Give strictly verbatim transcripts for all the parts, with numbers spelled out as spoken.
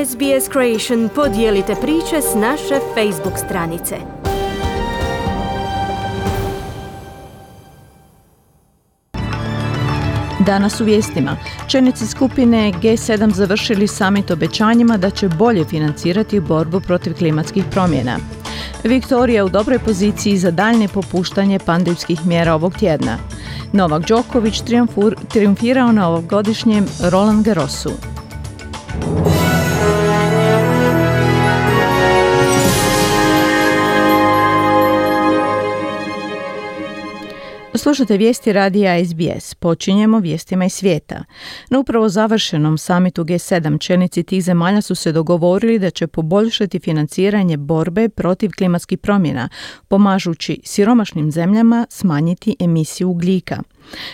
S B S Creation podijelite priče s naše Facebook stranice. Danas u vijestima. Čelnici skupine G sedam završili samit obećanjima da će bolje financirati borbu protiv klimatskih promjena. Viktorija u dobroj poziciji za daljnje popuštanje pandemskih mjera ovog tjedna. Novak Đoković triumfirao na ovogodišnjem Roland Garrosu. Slušate vijesti radija S B S. Počinjemo vijestima iz svijeta. Na upravo završenom samitu G sedam čelnici tih zemalja su se dogovorili da će poboljšati financiranje borbe protiv klimatskih promjena, pomažući siromašnim zemljama smanjiti emisiju ugljika.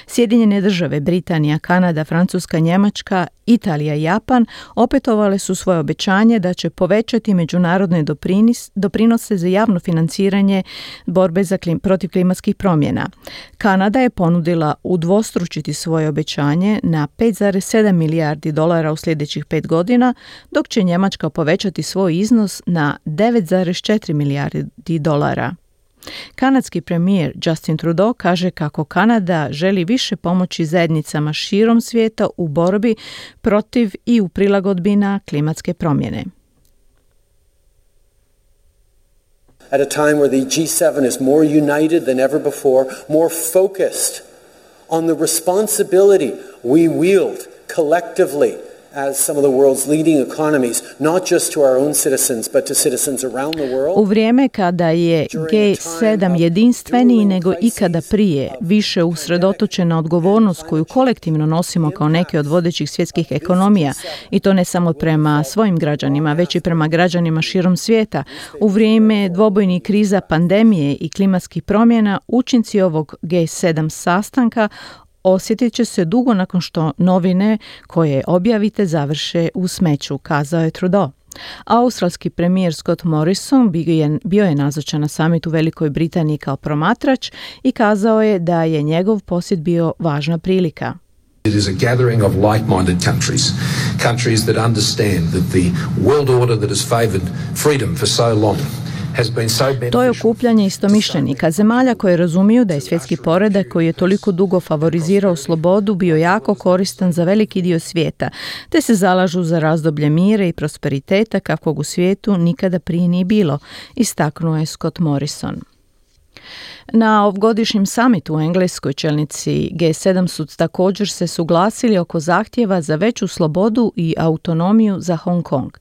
Sjedinjene države, Britanija, Kanada, Francuska, Njemačka, Italija i Japan opetovale su svoje obećanje da će povećati međunarodne doprinis, doprinose za javno financiranje borbe za klim, protiv klimatskih promjena. Kanada je ponudila udvostručiti svoje obećanje na pet zarez sedam milijardi dolara u sljedećih pet godina, dok će Njemačka povećati svoj iznos na devet zarez četiri milijardi dolara. Kanadski premijer Justin Trudeau kaže kako Kanada želi više pomoći zajednicama širom svijeta u borbi protiv i u prilagodbi na klimatske promjene. At a time where the G seven is more united than ever before, more focused on the responsibility we wield collectively as some of the world's leading economies, not just to our own citizens, but to citizens around the world. U vrijeme kada je G sedam jedinstveniji nego ikada prije, više usredotočen na odgovornost koju kolektivno nosimo kao neke od vodećih svjetskih ekonomija, i to ne samo prema svojim građanima, već i prema građanima širom svijeta. U vrijeme dvobojnih kriza, pandemije i klimatskih promjena, učinci ovog G sedam sastanka osjetit će se dugo nakon što novine koje objavite završe u smeću, kazao je Trudeau. Australski premijer Scott Morrison bio je, bio je nazočan na samitu u Velikoj Britaniji kao promatrač i kazao je da je njegov posjet bio važna prilika. It is a gathering of like-minded countries, countries that understand that the world order that has favored freedom for so long. To je okupljanje istomišljenika, zemalja koje razumiju da je svjetski poredak koji je toliko dugo favorizirao slobodu bio jako koristan za veliki dio svijeta, te se zalažu za razdoblje mira i prosperiteta kakvog u svijetu nikada prije nije bilo, istaknuo je Scott Morrison. Na ovogodišnjem samitu u Engleskoj čelnici G sedam su također se suglasili oko zahtjeva za veću slobodu i autonomiju za Hong Kong.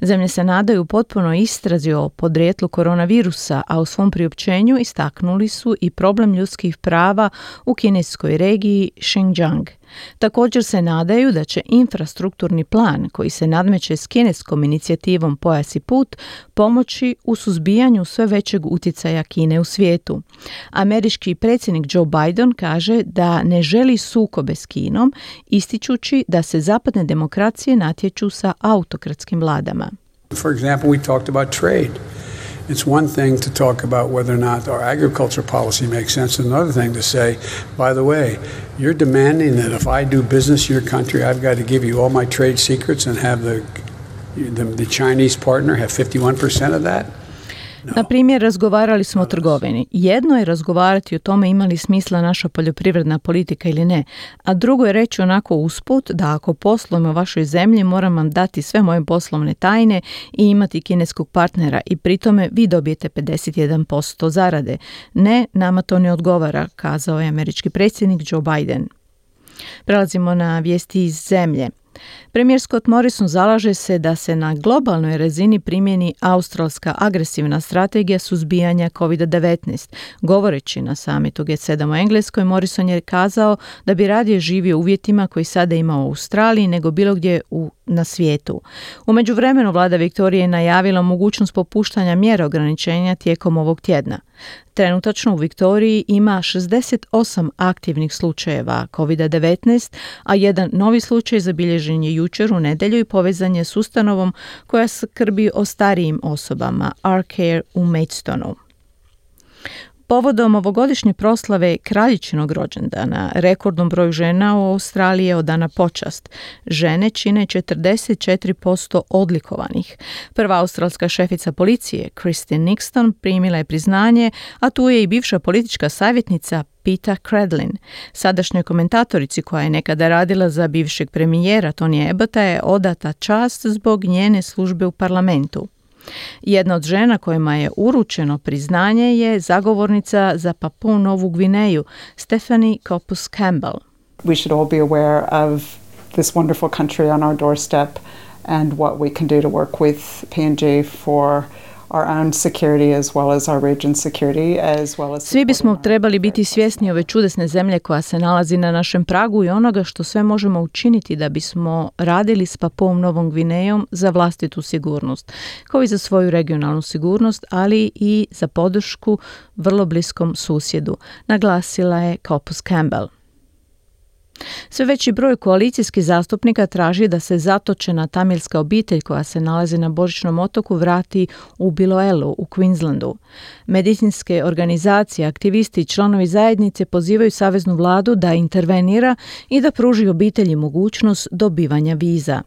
Zemlje se nadaju potpuno istrazi o podrijetlu koronavirusa, a u svom priopćenju istaknuli su i problem ljudskih prava u kineskoj regiji Xinjiang. Također se nadaju da će infrastrukturni plan koji se nadmeće s kineskom inicijativom Pojas i put pomoći u suzbijanju sve većeg utjecaja Kine u svijetu. Američki predsjednik Joe Biden kaže da ne želi sukobe s Kinom, ističući da se zapadne demokracije natječu sa autokratskim vladama. For example, we talked about trade. It's one thing to talk about whether or not our agriculture policy makes sense, and another thing to say, by the way, you're demanding that if I do business in your country, I've got to give you all my trade secrets and have the the, the Chinese partner have fifty-one percent of that? Na primjer, razgovarali smo o trgovini. Jedno je razgovarati o tome ima li smisla naša poljoprivredna politika ili ne, a drugo je reći onako usput da ako poslujem u vašoj zemlji moram vam dati sve moje poslovne tajne i imati kineskog partnera i pri tome vi dobijete pedeset jedan posto zarade. Ne, nama to ne odgovara, kazao je američki predsjednik Joe Biden. Prelazimo na vijesti iz zemlje. Premijer Scott Morrison zalaže se da se na globalnoj razini primjeni australska agresivna strategija suzbijanja kovid devetnaest. Govoreći na samitu G sedam u Engleskoj, Morrison je kazao da bi radije živio u uvjetima koji sada ima u Australiji nego bilo gdje u, na svijetu. U međuvremenu vlada Viktorije je najavila mogućnost popuštanja mjera ograničenja tijekom ovog tjedna. Trenutačno u Viktoriji ima šezdeset osam aktivnih slučajeva kovid devetnaest, a jedan novi slučaj zabilježen je jučer u nedjelju i povezan je s ustanovom koja skrbi o starijim osobama, Arcare u Maidstonu. Povodom ovogodišnje proslave kraljičinog rođendana, rekordnom broju žena u Australiji je odana počast. Žene čine četrdeset četiri posto odlikovanih. Prva australska šefica policije, Christine Nixon, primila je priznanje, a tu je i bivša politička savjetnica Peta Credlin. Sadašnjoj komentatorici koja je nekada radila za bivšeg premijera Tonyja Abbotta je odata čast zbog njene službe u parlamentu. Jedna od žena kojima je uručeno priznanje je zagovornica za Papuu Novu Gvineju, Stephanie Kopus Campbell. We should all be aware of this wonderful country on our doorstep and what we can do to work with P N G for our own security as well as our region security as well as Svi bismo trebali biti svjesni ove čudesne zemlje koja se nalazi na našem pragu i onoga što sve možemo učiniti da bismo radili s Papuom Novom Gvinejom za vlastitu sigurnost, kao i za svoju regionalnu sigurnost, ali i za podršku vrlo bliskom susjedu, naglasila je Kopus Campbell. Sve veći broj koalicijskih zastupnika traži da se zatočena tamilska obitelj koja se nalazi na Božićnom otoku vrati u Biloelu u Queenslandu. Medicinske organizacije, aktivisti i članovi zajednice pozivaju saveznu vladu da intervenira i da pruži obitelji mogućnost dobivanja viza.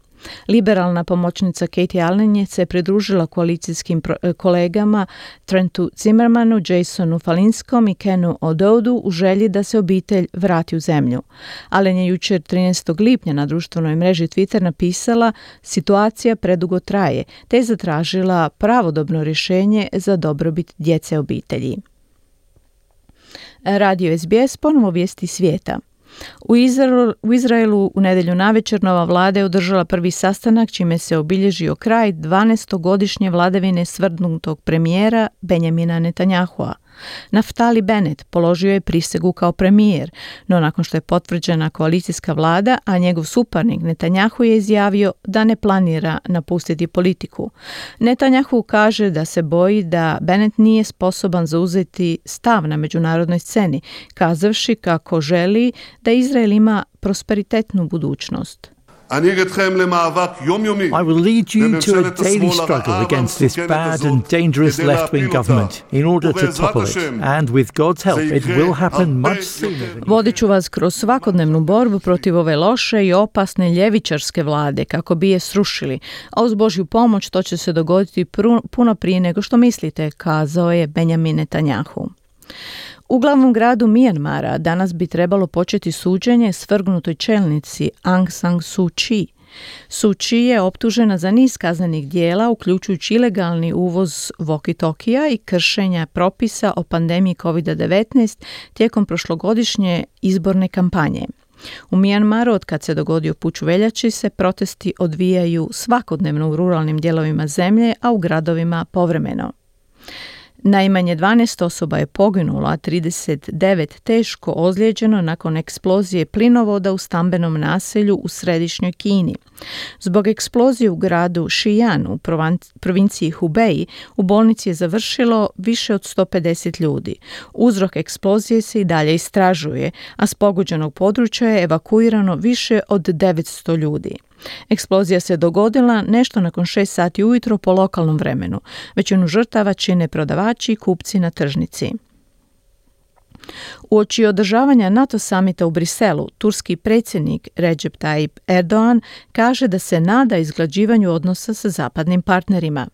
Liberalna pomoćnica Katie Allen se pridružila koalicijskim kolegama Trentu Zimmermanu, Jasonu Falinskom i Kenu Ododu u želji da se obitelj vrati u zemlju. Allen je jučer trinaestog lipnja na društvenoj mreži Twitter napisala: situacija predugo traje, te je zatražila pravodobno rješenje za dobrobit djece obitelji. Radio S B S ponovo vijesti svijeta. U Izraelu, u Izraelu u nedjelju navečer nova vlada je održala prvi sastanak čime se obilježio kraj dvanaestogodišnje vladavine svrdnutog premijera Benjamina Netanyahua. Naftali Bennett položio je prisegu kao premijer, no nakon što je potvrđena koalicijska vlada, a njegov suparnik Netanyahu je izjavio da ne planira napustiti politiku. Netanyahu kaže da se boji da Bennett nije sposoban zauzeti stav na međunarodnoj sceni, kazavši kako želi da Izrael ima prosperitetnu budućnost. I will lead you to a daily struggle against this bad and dangerous left-wing government in order to topple it. And with God's help, it will happen much sooner. Vodit ću vas kroz svakodnevnu borbu protiv ove loše i opasne ljevičarske vlade kako bi je srušili, a uz Božju pomoć to će se dogoditi puno prije nego što mislite, kazao je Benjamin Netanyahu. U glavnom gradu Mijanmara danas bi trebalo početi suđenje svrgnutoj čelnici Aung San Suu Kyi. Suu Kyi je optužena za niz kaznenih dijela, uključujući ilegalni uvoz walkie-talkija i kršenja propisa o pandemiji kovid devetnaest tijekom prošlogodišnje izborne kampanje. U Mijanmaru, od kad se dogodio puč u veljači, se protesti odvijaju svakodnevno u ruralnim dijelovima zemlje, a u gradovima povremeno. Najmanje dvanaest osoba je poginulo, a trideset devet teško ozlijeđeno nakon eksplozije plinovoda u stambenom naselju u središnjoj Kini. Zbog eksplozije u gradu Xi'an u provinciji Hubei u bolnici je završilo više od sto pedeset ljudi. Uzrok eksplozije se i dalje istražuje, a s pogođenog područja je evakuirano više od devetsto ljudi. Eksplozija se dogodila nešto nakon šest sati ujutro po lokalnom vremenu. Većinu žrtava čine prodavači i kupci na tržnici. Uoči održavanja NATO samita u Briselu, turski predsjednik Recep Tayyip Erdogan kaže da se nada izglađivanju odnosa sa zapadnim partnerima.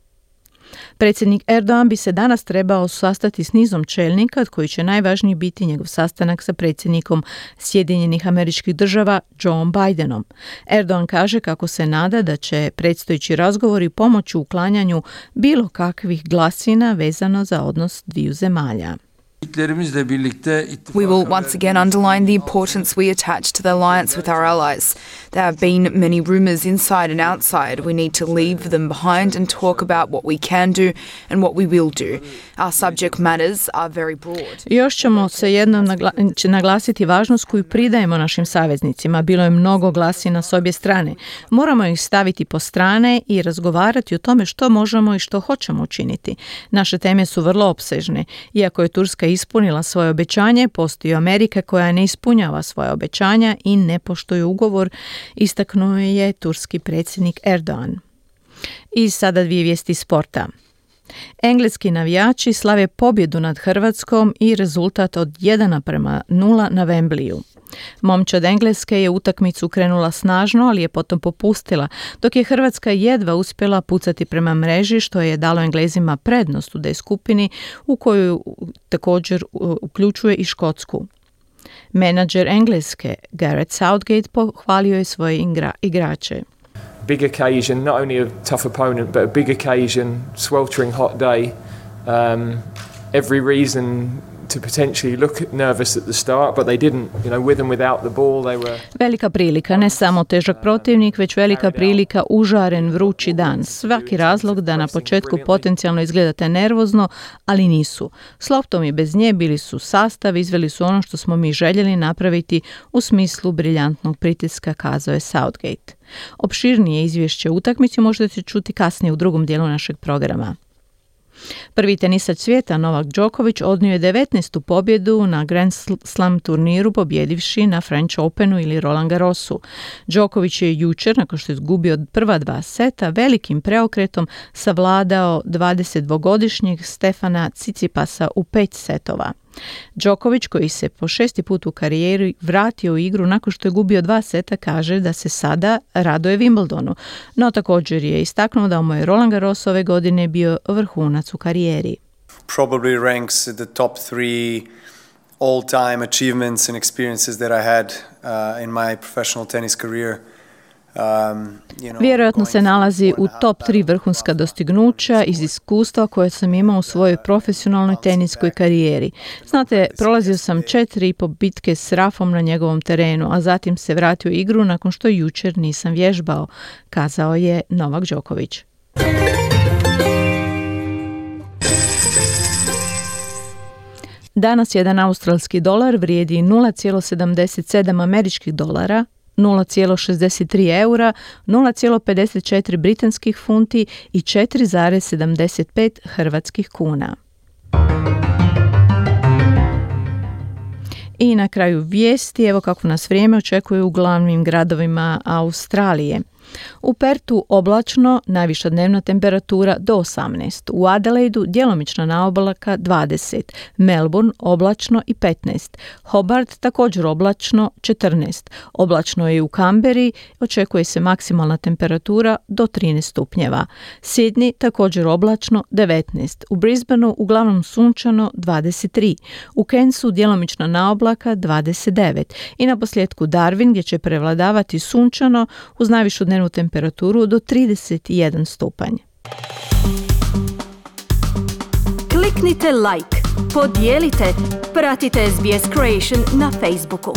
Predsjednik Erdogan bi se danas trebao sastati s nizom čelnika, od koji će najvažniji biti njegov sastanak sa predsjednikom Sjedinjenih Američkih Država Joe Bidenom. Erdogan kaže kako se nada da će predstojeći razgovori pomoći u uklanjanju bilo kakvih glasina vezano za odnos dviju zemalja. We will once again underline the importance we attach to the alliance with our allies. There have been many rumours inside and outside. We need to leave them behind and talk about what we can do and what we will do. Our subject matters are very broad. Još ćemo se jednom nagla- naglasiti važnost koju pridajemo našim saveznicima. Bilo je mnogo glasina s obje strane. Moramo ih staviti po strane i razgovarati o tome što možemo i što hoćemo učiniti. Naše teme su vrlo opsežne. Iako je Turska ispunila svoje obećanje, postoji Amerika koja ne ispunjava svoje obećanja i ne poštuje ugovor, istaknuo je turski predsjednik Erdogan. I sada dvije vijesti sporta. Engleski navijači slave pobjedu nad Hrvatskom i rezultat od jedan prema nula na Wembleyu. Momčad Engleske je utakmicu krenula snažno, ali je potom popustila, dok je Hrvatska jedva uspjela pucati prema mreži, što je dalo Englezima prednost u D skupini, u koju također uključuje i Škotsku. Menadžer Engleske, Gareth Southgate, pohvalio je svoje igra- igrače. Big occasion, not only a tough opponent, but a big occasion, sweltering hot day. Um, every reason to potentially look nervous at the start, but they didn't. You know, with and without the ball, they were... Velika prilika, ne samo težak protivnik, već velika prilika, užaren, vrući dan. Svaki razlog da na početku potencijalno izgledate nervozno, ali nisu. S loptom i bez nje bili su sastav, izveli su ono što smo mi željeli napraviti u smislu briljantnog pritiska, kazao je Southgate. Opširnije izvješće o utakmici možete čuti kasnije u drugom dijelu našeg programa. Prvi tenisač svijeta Novak Đoković odnio je devetnaestu pobjedu na Grand Slam turniru, pobjedivši na French Openu ili Roland Garrosu. Đoković je jučer, nakon što je izgubio prva dva seta, velikim preokretom savladao dvadesetdvogodišnjeg Stefana Cicipasa u pet setova. Đoković, koji se po šesti put u karijeri vratio u igru nakon što je gubio dva seta, kaže da se sada raduje Wimbledonu, no također je istaknuo da mu je Roland Garros ove godine bio vrhunac u karijeri. Probably ranks at the top three all-time achievements and experiences that I had uh, in my professional tennis career. Um, you know, Vjerojatno se nalazi u top tri vrhunska dostignuća iz iskustva koje sam imao u svojoj profesionalnoj teniskoj karijeri. Znate, prolazio sam četiri i po bitke s Rafom na njegovom terenu, a zatim se vratio u igru nakon što jučer nisam vježbao, kazao je Novak Đoković. Danas jedan australski dolar vrijedi nula zarez sedamdeset sedam američkih dolara, nula zarez šezdeset tri eura, nula zarez pedeset četiri britanskih funti i četiri zarez sedamdeset pet hrvatskih kuna. I na kraju vijesti, evo kako nas vrijeme očekuje u glavnim gradovima Australije. U Pertu oblačno, najviša dnevna temperatura do osamnaest. U Adelaidu djelomična naoblaka dvadeset. Melbourne oblačno i petnaest. Hobart također oblačno četrnaest. Oblačno je i u Kamberi, očekuje se maksimalna temperatura do trinaest stupnjeva. Sydney također oblačno devetnaest. U Brisbaneu uglavnom sunčano dvadeset tri. U Cairnsu djelomična naoblaka dvadeset devet. I na posljedku Darwin gdje će prevladavati sunčano uz najvišu dnevnu temperaturu do trideset jedan stupanj. Kliknite like, podijelite, pratite S B S Creation na Facebooku.